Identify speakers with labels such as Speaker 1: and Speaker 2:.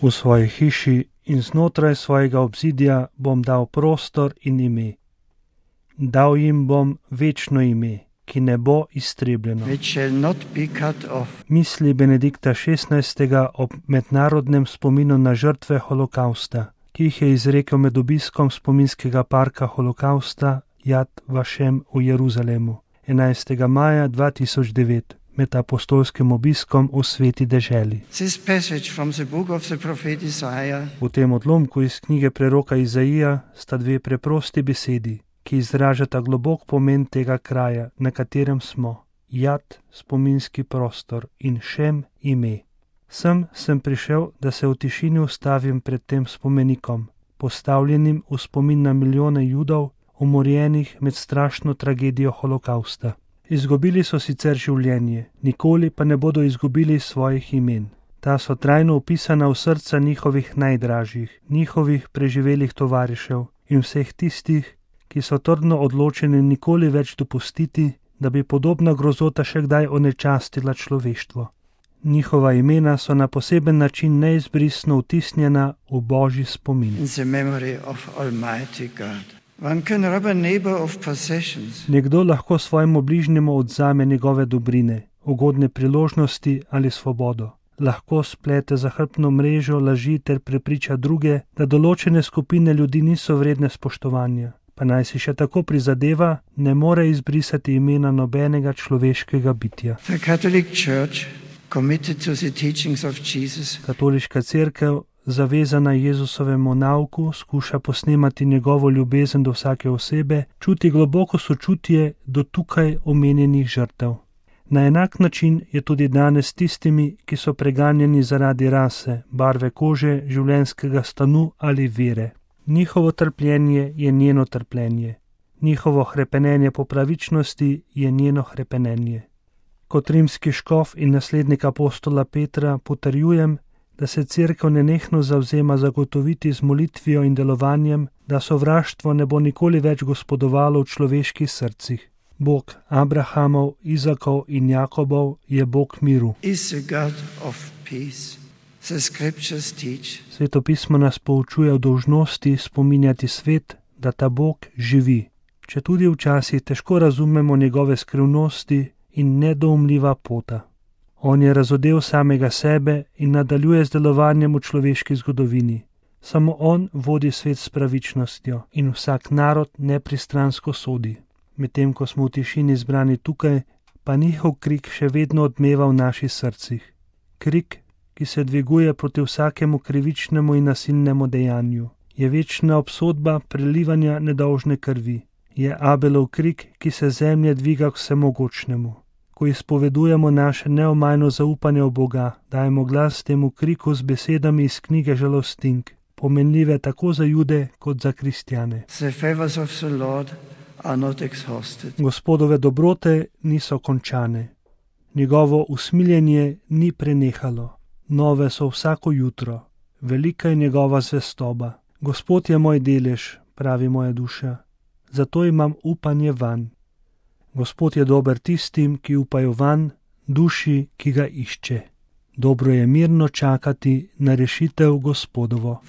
Speaker 1: V svoji hiši in znotraj svojega obzidja bom dal prostor in ime. Dal jim bom večno ime, ki ne bo iztrebljeno. Misli Benedikta XVI. Ob mednarodnem spominu na žrtve holokausta, ki jih je izrekel med obiskom spominskega parka holokausta Jad Vašem v Jeruzalemu 11. maja 2009 med apostolskim obiskom v sveti deželi. V tem odlomku iz knjige preroka Izaija sta dve preprosti besedi, ki izražata globok pomen tega kraja, na katerem smo. Jad, spominski prostor, in Šem, ime. Sem prišel, da se v tišini ustavim pred tem spomenikom, postavljenim v spomin na milijone Judov, umorjenih med strašno tragedijo holokausta. Izgubili so sicer življenje, nikoli pa ne bodo izgubili svojih imen. Ta so trajno vpisana v srca njihovih najdražjih, njihovih preživelih tovarišev in vseh tistih, ki so trdno odločeni nikoli več dopustiti, da bi podobna grozota še kdaj onečastila človeštvo. Njihova imena so na poseben način neizbrisno vtisnjena v Božji spomin. Nekdo lahko svojemu bližnjemu odzame njegove dobrine, ugodne priložnosti ali svobodo. Lahko splete zahrbtno mrežo laži ter prepriča druge, da določene skupine ljudi niso vredne spoštovanja. Pa naj si še tako prizadeva, ne more izbrisati imena nobenega človeškega bitja. Katoliška cerkev, zavezana Jezusovemu nauku, skuša posnemati njegovo ljubezen do vsake osebe, čuti globoko sočutje do tukaj omenjenih žrtev. Na enak način je tudi danes tistimi, ki so preganjeni zaradi rase, barve kože, življenjskega stanu ali vere. Njihovo trpljenje je njeno trpljenje. Njihovo hrepenenje po pravičnosti je njeno hrepenenje. Kot rimski škof in naslednik apostola Petra potrjujem, da se cerkev nenehno zavzema zagotoviti z molitvijo in delovanjem, da sovraštvo ne bo nikoli več gospodovalo v človeških srcih. Bog Abrahamov, Izakov in Jakobov je Bog miru. Sveto pismo nas poučuje o dolžnosti spominjati svet, da ta Bog živi, četudi včasih težko razumemo njegove skrivnosti in nedoumljiva pota. On je razodel samega sebe in nadaljuje z delovanjem v človeški zgodovini. Samo on vodi svet s pravičnostjo in vsak narod nepristransko sodi. Medtem ko smo v tišini zbrani tukaj, pa njihov krik še vedno odmeva v naših srcih. Krik, ki se dviguje proti vsakemu krivičnemu in nasilnemu dejanju. Je večna obsodba prelivanja nedolžne krvi. Je Abelov krik, ki se zemlje dviga k vsemogočnemu. Ko izpovedujemo naše neomajno zaupanje v Boga, dajemo glas temu kriku z besedami iz knjige Žalostink, pomenljive tako za Jude kot za kristjane. Gospodove dobrote niso končane. Njegovo usmiljenje ni prenehalo. Nove so vsako jutro. Velika je njegova zvestoba. Gospod je moj delež, pravi moja duša. Zato imam upanje vanj. Gospod je dober tistim, ki upajo vanj, duši, ki ga išče. Dobro je mirno čakati na rešitev Gospodovo.